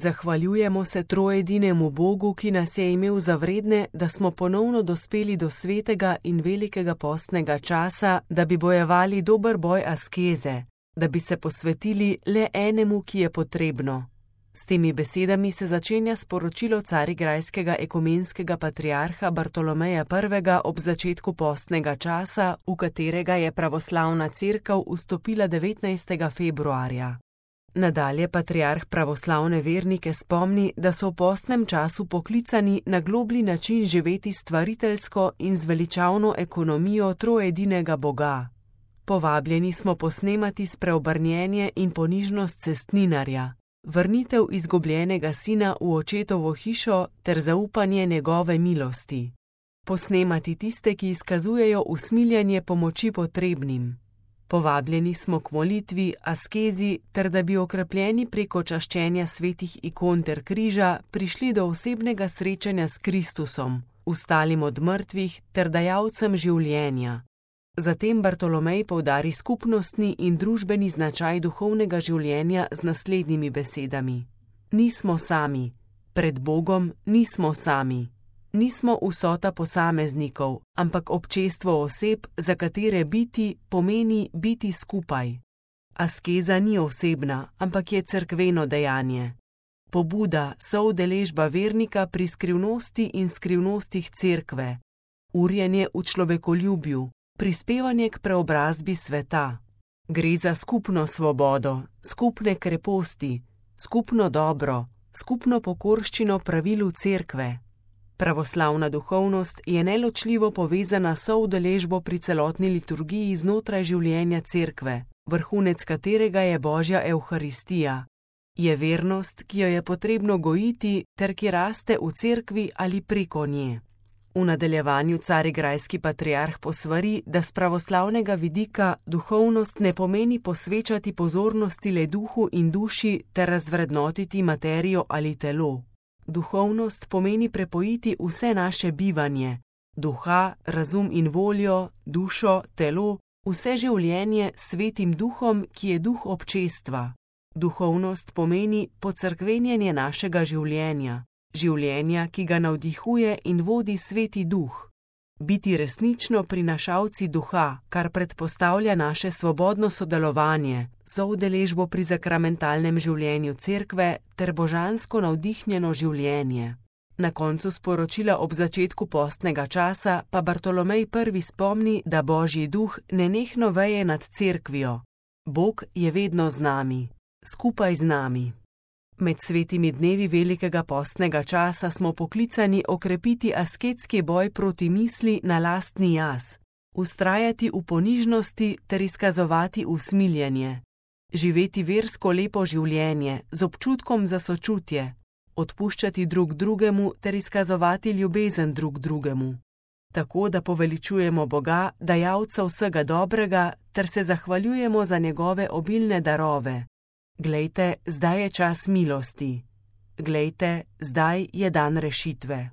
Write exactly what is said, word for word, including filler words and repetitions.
Zahvaljujemo se troedinemu Bogu, ki nas je imel za vredne, da smo ponovno dospeli do svetega in velikega postnega časa, da bi bojevali dober boj askeze, da bi se posvetili le enemu, ki je potrebno. S temi besedami se začenja sporočilo carigrajskega ekumenskega patriarha Bartolomeja prvega ob začetku postnega časa, v katerega je pravoslavna cerkev vstopila devetnajstega februarja. Nadalje patriarh pravoslavne vernike spomni, da so v postnem času poklicani na globlji način živeti stvariteljsko in zveličavno ekonomijo troedinega Boga. Povabljeni smo posnemati spreobrnjenje in ponižnost cestninarja, vrnitev izgubljenega sina v očetovo hišo ter zaupanje njegove milosti. Posnemati tiste, ki izkazujejo usmiljenje pomoči potrebnim. Povabljeni smo k molitvi, askezi ter da bi okrepljeni preko čaščenja svetih ikon ter križa prišli do osebnega srečanja s Kristusom, vstalim od mrtvih ter dajalcem življenja. Zatem Bartolomej poudari skupnostni in družbeni značaj duhovnega življenja z naslednjimi besedami. Nismo sami. Pred Bogom nismo sami. Nismo vsota posameznikov, ampak občestvo oseb, za katere biti pomeni biti skupaj. Askeza ni osebna, ampak je cerkveno dejanje. Pobuda, soudeležba vernika pri skrivnosti in skrivnostih cerkve. Urjenje v človekoljubju. Prispevanje k preobrazbi sveta. Gre za skupno svobodo, skupne kreposti, skupno dobro, skupno pokorščino pravilu cerkve. Pravoslavna duhovnost je neločljivo povezana s soudeležbo pri celotni liturgiji znotraj življenja cerkve, vrhunec katerega je Božja evharistija. Je vernost, ki jo je potrebno gojiti ter ki raste v cerkvi ali preko nje. V nadaljevanju carigrajski patriarh posvari, da s pravoslavnega vidika duhovnost ne pomeni posvečati pozornosti le duhu in duši ter razvrednotiti materijo ali telo. Duhovnost pomeni prepojiti vse naše bivanje, duha, razum in voljo, dušo, telo, vse življenje s svetim duhom, ki je duh občestva. Duhovnost pomeni pocerkvenjenje našega življenja. Življenja, ki ga navdihuje in vodi sveti duh. Biti resnično prinašalci duha, kar predpostavlja naše svobodno sodelovanje, soudeležbo pri sakramentalnem življenju cerkve ter božansko navdihnjeno življenje. Na koncu sporočila ob začetku postnega časa pa Bartolomej prvi spomni, da Božji duh nenehno veje nad cerkvijo. Bog je vedno z nami, skupaj z nami. Med svetimi dnevi velikega postnega časa smo poklicani okrepiti asketski boj proti misli na lastni jaz, vztrajati v ponižnosti ter izkazovati usmiljenje, živeti versko lepo življenje z občutkom za sočutje, odpuščati drug drugemu ter izkazovati ljubezen drug drugemu. Tako da poveličujemo Boga, dajalca vsega dobrega, ter se zahvaljujemo za njegove obilne darove. Glejte, zdaj je čas milosti. Glejte, zdaj je dan rešitve.